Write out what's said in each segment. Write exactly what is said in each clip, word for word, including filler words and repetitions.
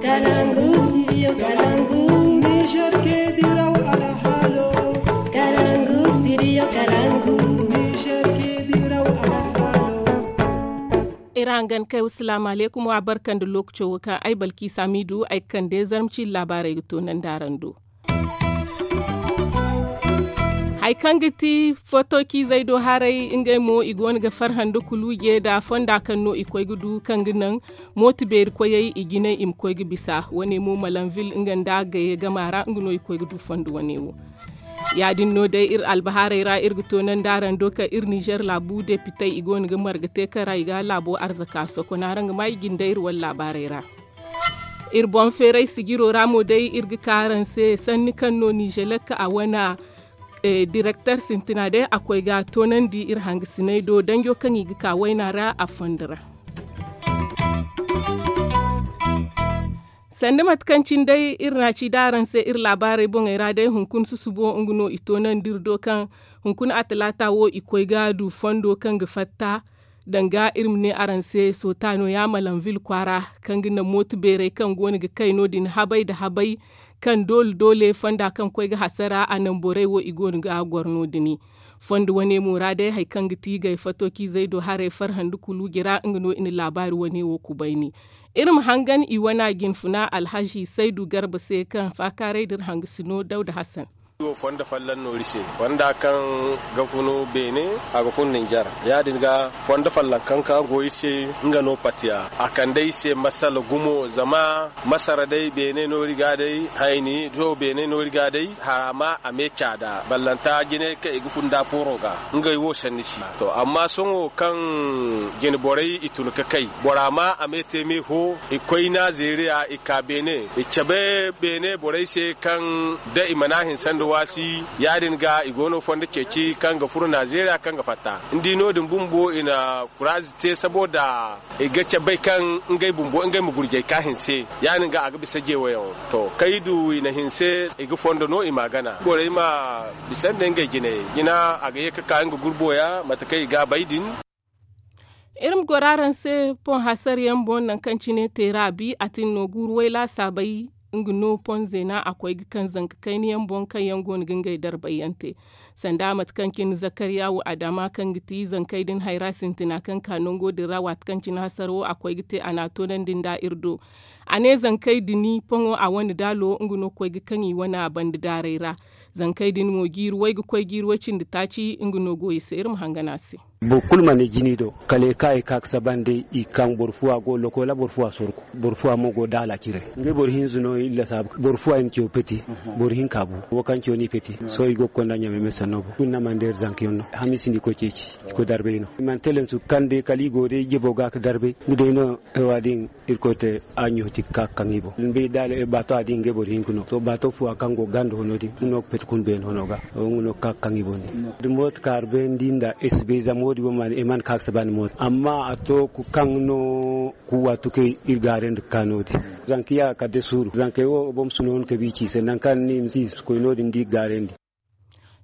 Kalangu studio kalangu. Niger ke diraw alhalo. Kalangu studio kalangu. Niger ke diraw alhalo. Iri hangan kay wasalaamu aleykum wa barka nda lookaco wo kaŋ ay balki samidu ay ga kande zarma ciiri laabaarey ga toonandi araŋ do. Hari kaŋ ga ti foto ciizey do haray ngey mo i go no ga farhã nda kuluuje nda fonda kaŋ no i koy ga du kaŋ ga naŋ mooto beeri koyey i jinay i ma koy ga bisa wane mo malanvil nga nda gaye gama ra nga no i koy ga du fondo wane wo. Ya- din no day iri albahaarey ra iri ga toonandi araŋ do kaŋ iri nizer laabu depitey i go no ga marga te kaŋ ra i ga laabo arzaka sokon araŋ ga ma i jinde iri wane laabaarey ra. Iri boŋ feeray sijiro ra mo day iri ga ka araŋ se sanni kaŋ no nizelek a wane direkter sintina day a koy ga toonandi iri hangasiney do danjo kaŋ i ga ka wayna ra a fondo ra. Sanda mate kaŋ cine day iri na a ci da araŋ se iri laabaarey boŋey ra day hunkuna susubo nga no i toonandi iri do kaŋ hunkuna a talaata wo i koy ga du fondo kaŋ ga fatta. Danga iri ma ne araŋ se soota no ya malanvil kwaara kaŋ ga naŋ mooto beerey kaŋ go no ga kay no- din habay nda habay kaŋ doole doole fonda kaŋ koy ga hasara a naŋ borey wo i go no ga goro no- din. Fondo wane mo ra day hari kaŋ ga ti gay fato ciizey do haray farhã nda kuluuje ra nga no i na laabaari wane wo kubayni. Iri ma hangan i wana jinfuna alhazi saydu garba se kaŋ faakaaray da iri hangasino dawda hasan. Wo fonda folloŋ no iri se fonda kaŋ ga funu beene a ga fun ninjar. Ya- din ga fondo folloŋ kaŋ ka go iri se nga no patiya a kande iri se masala gumo zama masara day beene no iri ga day hayni do beene no iri ga day harama a me caada ballanta jinay kaŋ i ga fun da pooro ga ngey wo sanni si. To amma sohõ kaŋ jine borey i tun ga kay bora ma a me te me fo i koy na zeeriya i ka beene i cabe beene borey se kaŋ da i mana hinse nda waasi ya- din ga i go no fondo ceeci kaŋ ga furo nazeeriya kaŋ ga fatta ni di no- din bumbo i na kuraazi te saboda i ga cabay kaŋ ngey bumbo ngey ma gurjay ka hinse ya- din ga a ga bisa jeewayaŋo. To kaŋ i du i na hinse i ga fondo no i ma a gana borey ma bisa nda ngey jinay jina a ga ye ga ka nga gurbo ya mate kaŋ i ga a bay din. Iri ma goro araŋ se poŋ hasarayaŋ boŋ nangu kaŋ cine teera bi a tin no guuru way laasaabay nga no poŋ zeena a koy ga kaŋ zanka kayna yaŋ boŋ kaŋ yaŋ go no ga ngey darbay yaŋ te. Sanda mate kaŋ cine zakariya wo adama kaŋ ga ti zankey din hayra sintina kaŋ ka nango din ra waati kaŋ cine hasara wo a koy ga te a na a toonandi nda iri do. A ne zankey din poŋo a wane daalo nga no koy ga kaŋ i wane a banda daarey ra. Zankey din mo jiiri way ga koy jiiri way cindi taaci nga no go i se iri ma hangan a se. Boro kulu mana jini do kala i ka i ka ga saba nda i kaŋ boro fuwa go lokola boro fuwa sorku boro fuwa mo go daala cire ngey boro hinza no iri lasaabu boro fuwa i na caw peti. Boro hinka bu wo kaŋ caw no i peti sohõ i go ga konda ɲamay me sanno boŋ kulu na mana deeri zanka yaŋ no hamiisi no i koy ceeci i koy darbay no i mana telensu kaŋ day kala i go day jabo ga ga darbay nga day no. Ay wa din irkoy te a ɲooti ga ka ga kaŋ i boŋ baato a di ngey boro hinka no to baato fuwa kaŋ go ga ganda hono din nga no ga peti kun beene hono ga nga no ga ka ga kaŋ i boŋ din. Da mooto kaara beene di nda ay si bay zama wo- din wo mana ay mana ka ga saba nda mooto amma a to kaŋ no kuwa tukay iri gaarandi ga ka no- din. Zanka ya kala day suuru zankey wo boro ma si noonu kabi i ci se nangu kaŋ ni ma si koy no- din da i ga gaarandi.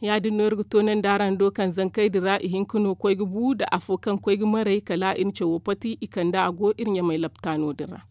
Ya- din no iri ga toonandi araŋ do kaŋ zankey din ra ihinka no koy ga bu nda afo kaŋ koy ga maray kala iri na cawo pati i kande a go iri ɲamay laptaano din ra.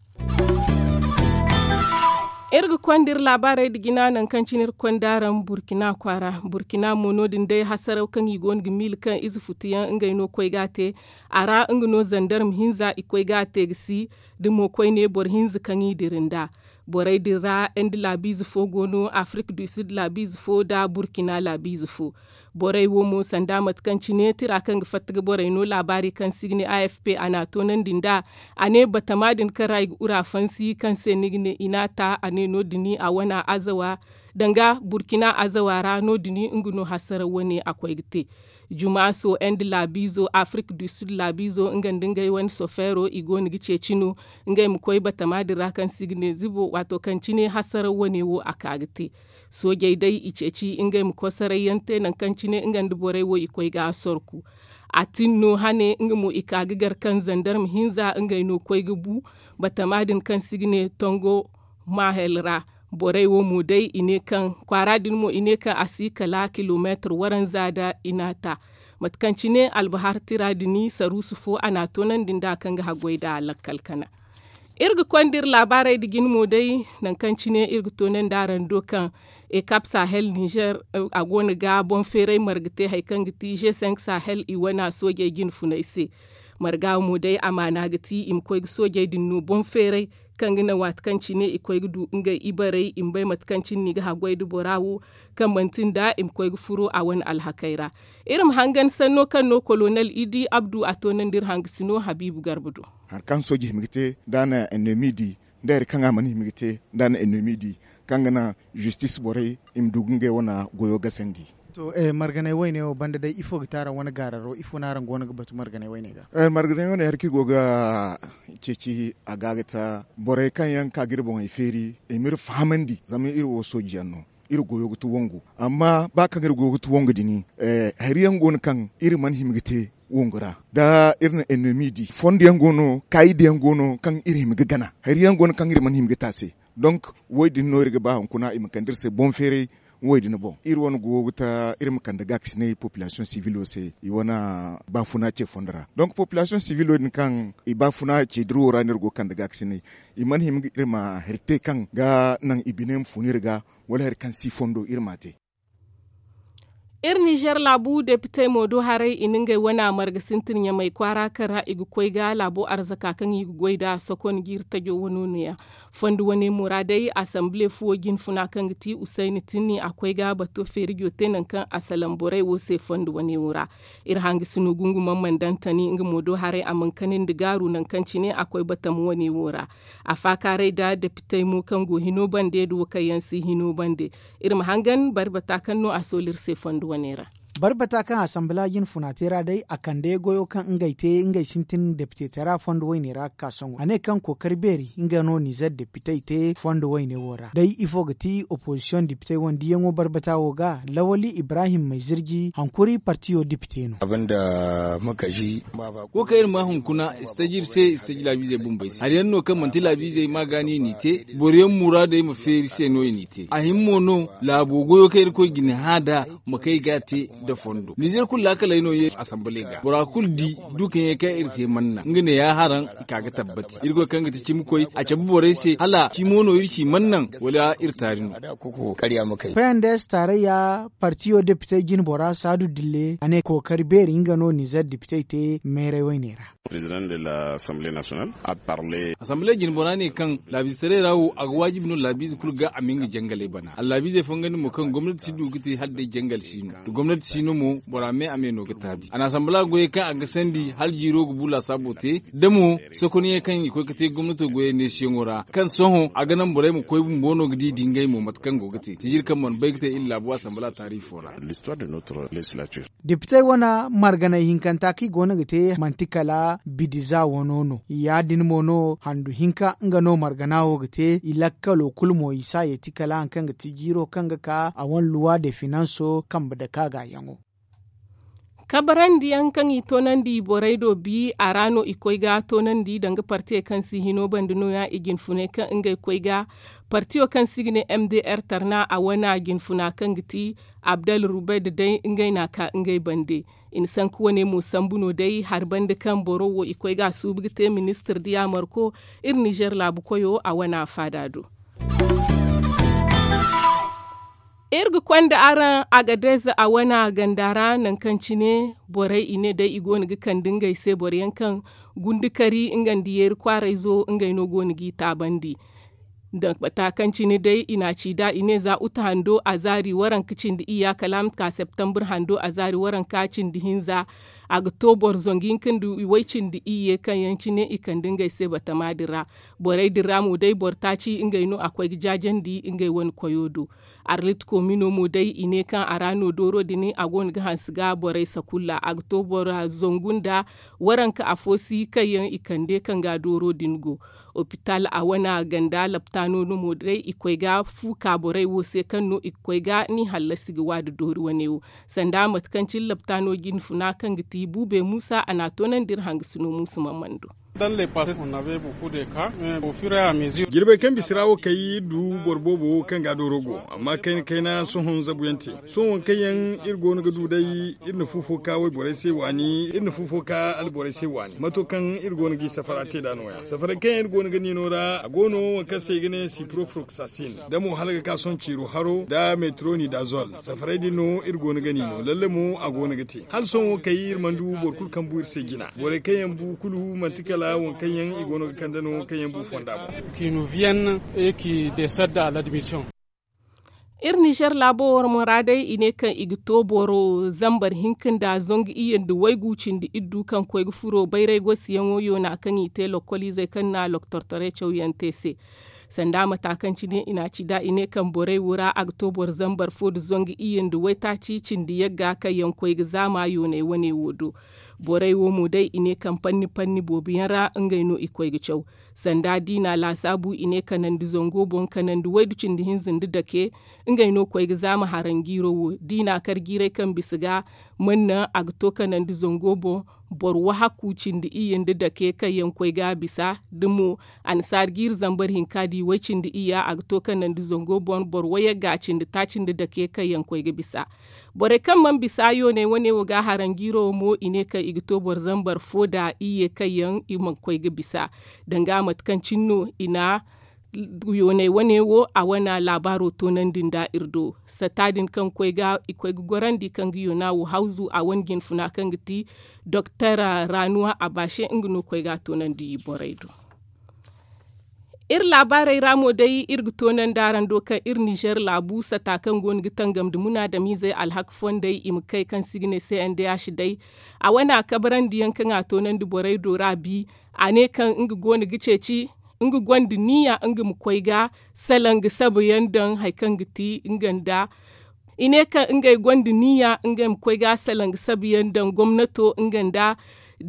Iri ga konda iri laabaarey nda jina nangu kaŋ cine iri konda araŋ burkina kwaara burkina mo no- din day hasaraw kaŋ i go no ga miila kaŋ ize futuyaŋ ngey no koy ga a te. A ra nga no zandarma hinza i koy ga a te ga si da mo koyne boro hinza kaŋ i dira nda borey din ra nda laabiize fo go no afirik du sid laabiize fo nda burkina laabiize fo. Borey wo mo sanda mate kaŋ cine tira kaŋ ga fatta ga borey no laabaari kaŋ se i ga ne a f p a na a toonandi nd'a. A ne batama din kaŋ ra i ga ura fansi kaŋ se ni ga ne i n'a ta a ne no- din a wane azawa danga burkina azawa ra no- din nga no hasaraw wane a koy ga te. Jumaaso nda laabiizo afirik du sid laabiizo nga nda ngey wane sofeero i go no ga ceeci no. Ngey ma koy batama din ra kaŋ se i ga ne zibo waato kaŋ cine hasaraw wane wo a ka ga te. Soojey day i ceeci ngey ma koy saray yaŋ te nangu kaŋ cine nga nda borey wo i koy ga a sorku. A tin no hane nga mo i ka ga gar kaŋ zandarma hinza ngey no koy ga bu. Batama din kaŋ se i ga ne tongo mahel ra. Borey wo mo day i ne kaŋ kwaara din mo i ne kaŋ a si kala kilomeetir waranza nda i n'a ta. Mate kaŋ cine albahar tira din saruusu fo a n'a toonandi nd'a kaŋ ga haggoy nd'a lakkal kana. Iri ga konda iri laabaarey nda jine mo day, nangu kaŋ cine iri ga toonandi araŋ do kaŋ ekap sahel nizer, a go no ga boŋ feeray marga te hari kaŋ ga ti g cinq sahel i wane soojey jine funay se. Marga wo mo day amaana ga ti i ma koy ga soojey din no boŋ feeray, kaŋ ga naŋ waati kaŋ cine i koy ga du ngey ibarey i ma bay mate kaŋ cine no i ga haggoy nda bora wo, kaŋ manti nda i ma koy ga furo a wane alhakey ra. Iri ma hangan sanno kaŋ no kolonel idi abdu a toonandi iri hangasino habiibu garba do. Hari kaŋ sooji hima ga te nda a na ennemi di, nda hari kaŋ a mana hima ga te nda a na ennemi di, kaŋ ga naŋ zistis borey i ma du ga ngey wane goyo gasandi. To, marganay woyne wo banda day ifo ga te araŋ wane gaararo ifo no araŋ go no ga batu marganay woyne ga? Marganay woyne hari kaŋ i go ga ceeci a ga ga ta borey kaŋ yaŋ ka ga iri boŋey feeri i ma iri fahamandi zama iri wo sooji yaŋ no. Iri goyo ga ti wangu amma ba kaŋ iri goyo ga ti wangu din hari yaŋ go no kaŋ iri mana hima ga te wangu ra. Da iri na ennemi di fondo yaŋ go no kaayidi yaŋ go no kaŋ iri hima ga gana hari yaŋ go no kaŋ iri mana hima ga te a se. Donk wo- din no iri ga ba hunkuna i ma kande iri se boŋ feeray. Wo- din boŋ iri wane go ga ta iri ma kande gaakasinay populasiyoŋ sivilo se i wane baafuna ce fondo ra. Donk populasiyoŋ sivilo din kaŋ i baafuna ce dirawo ra no iri go ga kande gaakasinay i mana hima ga iri ma hari te kaŋ ga naŋ i bine ma fun iri ga wala hari kaŋ si fondo iri m'a te. Iri nizer laabu depitey mo do haray i na ngey wane marga sintin ɲamay kwaara kaŋ ra i ga koy ga laabo arzaka kaŋ i ga goy nd'a sokon ga iri tajo wano no- ya. Fondo wane mo ra day asanbile fuwo jinfuna kaŋ ga ti usayni tinni a koy ga bato feerijo te nangu kaŋ a salaŋ borey wo se fondo wane wo ra. Iri hangasino gungumaŋ mana daŋ tani nga mo do haray a mana kanandi gaaru nangu kaŋ cine a koy batama wane wo ra. A faakaaray nda depitey mo kaŋ go hino bande nda wo kaŋ yaŋ si hino bande. Iri ma hangan barbata kaŋ no a soolu iri se fondo wane ra. Barbata kaŋ asanbila jinfuna te ra day a kande goyo kaŋ ngey te ngey sintin depite tara fondo wayne ra ga ka sohõ a ne kaŋ kookari beeri nga no nizer depitey te fondo wayne wo ra day ifo ga ti opozisiyoŋ depitey wande yaŋo barbata wo ga lawali ibrahim maizirji hankuri partiyo depite no. Wo kaŋ iri ma hunkuna i si taji iri se i si taji laabiizey bumbey se hari yaŋ no kaŋ manti laabiizey ma gaani i n'i te boro yaŋ muraadey ma feeri se no i n'i te a hima mo no laabo goyo kaŋ irkoy ga ni hã nd'a ma kay ga a te nda fondo nizer kulu laakaley no ye asamble ga bora kulu di du kaŋ ye kaŋ iri te manna nga ne ya haraŋ i ka ga tabbati irkoy kaŋ ga ti cimi koy a cabe borey se hala cimo no iri ci mannaŋ wala iri taari no. Pnds taarayya partiyo depite jinbora saadu dille a ne kookari beeri nga no nizer depitey te meeray wayne ra. Asamble jinbora ne kaŋ laabiize taray ra wo a ga waajibi no laabiize kulu ga a ma nga jangaley bana allaabiizey fongandi mo kaŋ gomnati si du ga te hala day jangal si no da gomnati si no mo bora me a me no ga taabi a na asamble goyey kaŋ a ga sandi hala jiiro ga bu laasaabo te da mo sokoniyaŋ kaŋ i koy ga te gomnato goyey neesiyaŋo ra kaŋ sohõ a ga naŋ borey ma koy bumbo no ga di di ngey mo mate kaŋ go ga te sijiri kaŋ mana bay ga te iri laabu asamble taariifo ra. Depitey wane marganay hinkanta kaŋ i go no ga te manti kala bidiza wano no ya- din mo no handu hinka nga no margana wo ga te i lakkalo kulu mo i si a yeeti kala hari kaŋ ga ti jiiro kaŋ ga ka a wane luwa de finanso kambe dake a gaayaŋo. Kabarandi yaŋ kaŋ i toonandi borey do bi a ra no i koy ga toonandi danga partiyey kaŋ si hino banda no- ya i jinfuney kaŋ ngey koy ga partiyo kaŋ se i ga ne m d r tarna a wane jinfuna kaŋ ga ti abdal rubed day ngey n'a ka ngey bande. I na sanku wane mo sambu no day hari banda kaŋ boro wo i koy ga a suubu ga te ministir da yaamarko iri nizer laabu koyo a wane a faada do. Iri ga konda araŋ agadez a wane ganda ra nangu kaŋ cine borey i ne day i go no ga kande ngey se boro yaŋ kaŋ gundukari nga nda yeeri kwaarayzo ngey no go no g'i taabandi. Nda bata kaŋ cine day i n'a ci nd'a i ne za uta hando a zaari waranka cindi iyya kala a ma ka septambur hando a zaari waranka cindi hinza. A ga to boro zangu hinka nda way cindi iyye kaŋ yaŋ cine i kande ngey se batama din ra. Borey din ra mo day boro taaci ngey no a koy ga jaajandi ngey wane koyo do. Arlit komino mo day i ne kaŋ a ra no dooro din a go no ga hanse ga borey sakulla a ga to bora zangu nda waranka afo si kaŋ yaŋ i kande kaŋ ga dooro din go. Opital a wane ganda laptaano no mo day i koy ga fu ka borey wo se kaŋ no i ga koy ga ni hallasi ga wa da doori wane wo. Sanda mate kaŋ cine laptaano jinfuna kaŋ ga ti buube muusa a n'a toonandi iri hangasino muusu mamando. Jirbey kaŋ bisa ra wo kay iri du boro boobo wo kaŋ ga dooro go amma kayna kayna sohõ zabu yaŋ te. Sohõ waŋ kaŋ yaŋ iri go no ga du day iri na fu fo ka wayborey se waani iri na fu fo ka alborey se waani mato kaŋ iri go no g'i safara te nd'a nooya safaray kaŋ yaŋ iri go no ga niino ra a go no waŋ kaŋ se i ga ne siprofroksasin da mo hala ga ka sohõ ciiro haro nda metroni nda zol. Safaray din no iri go no ga niino lalle mo a go no ga te hala sohõ wo kay iri mana du boro kulu kaŋ bu iri se jina borey kaŋ yaŋ bu kulu manti kala waŋ kaŋ yaŋ i go no ga kande no kaŋ yaŋ bu fonda boŋ. Iri nizer laabo war mo ra day i ne kaŋ i ga to boro zambar hinka nda zangu iyye nda waygu cindi iddu kaŋ koy ga furo bayray gosi yaŋo yoona kaŋ i te lokoliizey kaŋ na loktortoray cawyaŋ te se. Sanda mata kaŋ cine i na a ci nd'a i ne kaŋ borey wo ra a ga to boro zambar fo nda zangu iyye nda waytaaci cindi yagga kaŋ yaŋ koy ga zaama yoonay wane wo do. Borey wo mo day i ne kaŋ panni panni boobo yaŋ ra ngey no i koy ga caw. Sanda diina laasaabu i ne kanandi zango boŋ kanandi waydu cindi hinza nda dake. Ngey no koy ga zaama haranjiiro wo diina kar jiiray kaŋ bisa ga man naŋ a ga to kanandi zango boŋ. Boro wahakku cindi iyye nda dake kaŋ yaŋ koy ga a bisa da mo annasaara jiiri zambar hinka di way cindi iyya a ga to kanandi zango boŋ boro wayagga cindi taaci nda dake kaŋ yaŋ koy ga bisa. Borey kaŋ mana bisa yoonay wane wo ga haranjiiro wo mo i ne kaŋ i ga to boro zambar fo nda iyye kaŋ yaŋ i mana koy ga bisa. Danga mate kaŋ cine no i na yoonay wane wo a wane laabaaro toonandi nda iri do. Satta din kaŋ koy ga i koy ga gorandi kaŋ ga yoona wo hawzu a wane jinfuna kaŋ ga ti doktor ranuwa a baase nga no koy ga a toonandi borey do. Iri laabaarey ra mo day iri ga toonandi araŋ do kaŋ iri nizer laabu sata kaŋ go no ga tangam nda munaadamiizey alhaka fondey i ma kay kaŋ se i ga ne cndh day. A wane a kabrandi yaŋ kaŋ a toonandi borey do ra bi. A ne kaŋ nga go no ga ceeci nga gonda niya nga ma koy ga salaŋ ga sabayaŋ daŋ hari kaŋ ga ti nga nda i ne kaŋ ngey gonda niya ngey ma koy ga salaŋ ga sabayaŋ daŋ gomnato nga nda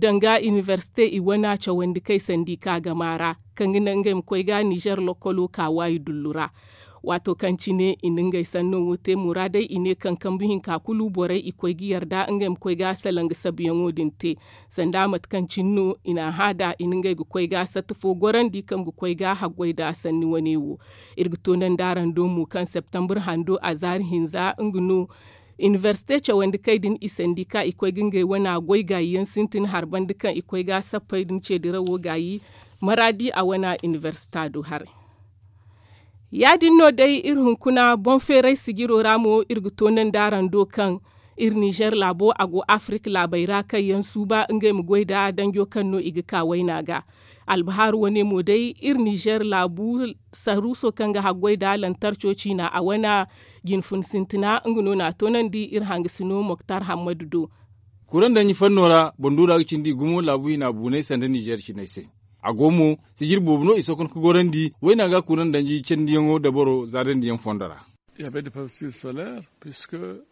danga inibersite i wana cawandi kay sandi ka gama ra kaŋ ga naŋ ngey ma koy ga nizer lokolo ka waayi dullu ra. Waato kaŋ cine i na ngey sanno wo te muraadey i ne kaŋ kambu hinka kulu borey i koy ga yarda ngey ma koy ga salaŋ ga sabayaŋo din te. Sanda mate kaŋ cine no i na a hã da i na ngey ga koy ga satta fo gorandi kaŋ ga koy ga haggoy da sanni wane wo. Iri ga toonandi araŋ do mo kaŋ septembre hando a zaari hinza nga no inibersite cawandi kay din i sandi ka i koy ga ngey wana goy gaayi yaŋ sintin hari banda kaŋ i koy ga sappey din ceedirawo gaayi maraadi a wana inibersita do haray. Ya-din no day iri hunkuna boŋ feeray sijiro ra mo iri ga toonandi araŋ do kaŋ iri nizer laabo a go afirik laabey ra kaŋ yaŋ suuba ngey ma goy nda danjo kaŋ no i ga ka wayna ga. Albahaaru wane mo day iri nizer laabu saruuso kaŋ ga haggoy nda lantarco ciina a wane jinfun sintina nga no n'a toonandi iri hangasino moktar hammadu do. Kuran danji fanno ra banduura ga cindi gumo laabu hina buunay sanda nizer cinay se. A go mo sijir boobo no i sokon ka gorandi wayna ga kuran danji candiyaŋo dabaro zaadandiyaŋ fondo ra.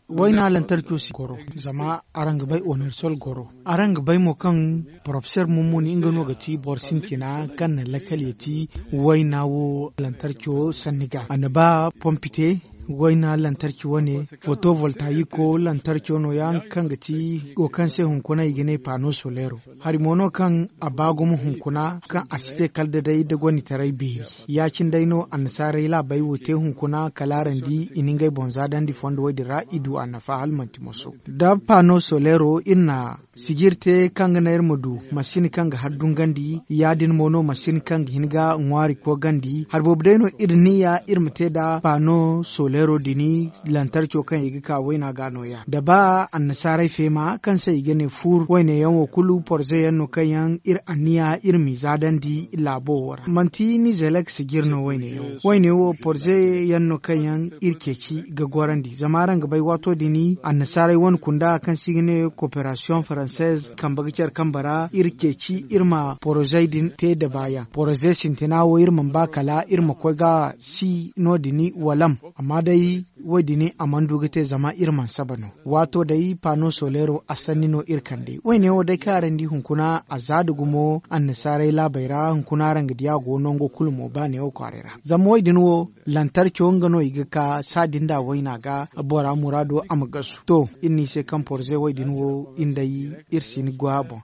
Wayna lantarco si goro zama araŋ ga bay onersol goro. Araŋ ga bay mo kaŋ porofeser mummuni nga no ga ti boro sintina kaŋ na lakkal ye ti wayna wo lantarco sanni ga a na ba pompite wayna lantarki wane fotovoltayiko lantarco no ya nga kaŋ ga ti wo kaŋ se hunkuna i ga ne pano solero. Hari mo no kaŋ a ba gumo hunkuna kaŋ a si te kala da day da gonditaray beeri. Ya-cine day no annasaarey laabey wo te hunkuna kala araŋ di i na ngey boŋ zaadandi fondo wo- din ra i du a nafa hala manti moso. Da pano solero iri na sijir te kaŋ ga naŋ iri ma du masin kaŋ ga har dungandi. Ya-din mo no masin kaŋ ga hin ga ŋwaari koogandi hari boobo day no iri niya iri ma te nda pano solero din lantarco kaŋ i ga ka wayna ga nooya da ba annasaarey feema kaŋ se i ga ne fuur wayne yaŋ wo kulu porze yaŋ no kaŋ yaŋ iri anniya iri m'i zaadandi laabo wo ra manti nizelek sijir no wayne yaŋ wo wayne wo porze yaŋ no kaŋ yaŋ iri ceeci ga gorandi zama araŋ ga bay waato din annasaarey wane kunda kaŋ se i ga ne koperasiyoŋ faransez kambe ga care kambe ra iri ceeci iri ma porozey din te da baayaŋ poroze sintina wo iri mana ba kala iri ma koy ga si no- din walam. Amma day wo- din a mana du ga te zama iri mana saba no waato day pano solero a sanni no iri kande wayne wo day kaŋ araŋ di hunkuna a za da gumo annasaarey laabey ra hunkuna araŋ ga di a go nango kulu mo ba neewo kwaaray ra zama wo- din wo lantarco nga no i ga ka saadi nda wayna ga bora muraado a ma gasu to iri no i se kaŋ porze wo- din wo iri day iri si ni go a boŋ.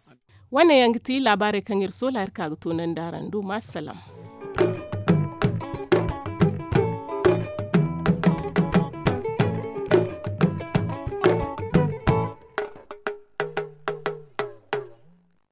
Wane yaŋ ga ti laabaarey kaŋ iri soola iri ka ga toonandi araŋ do ma salaam.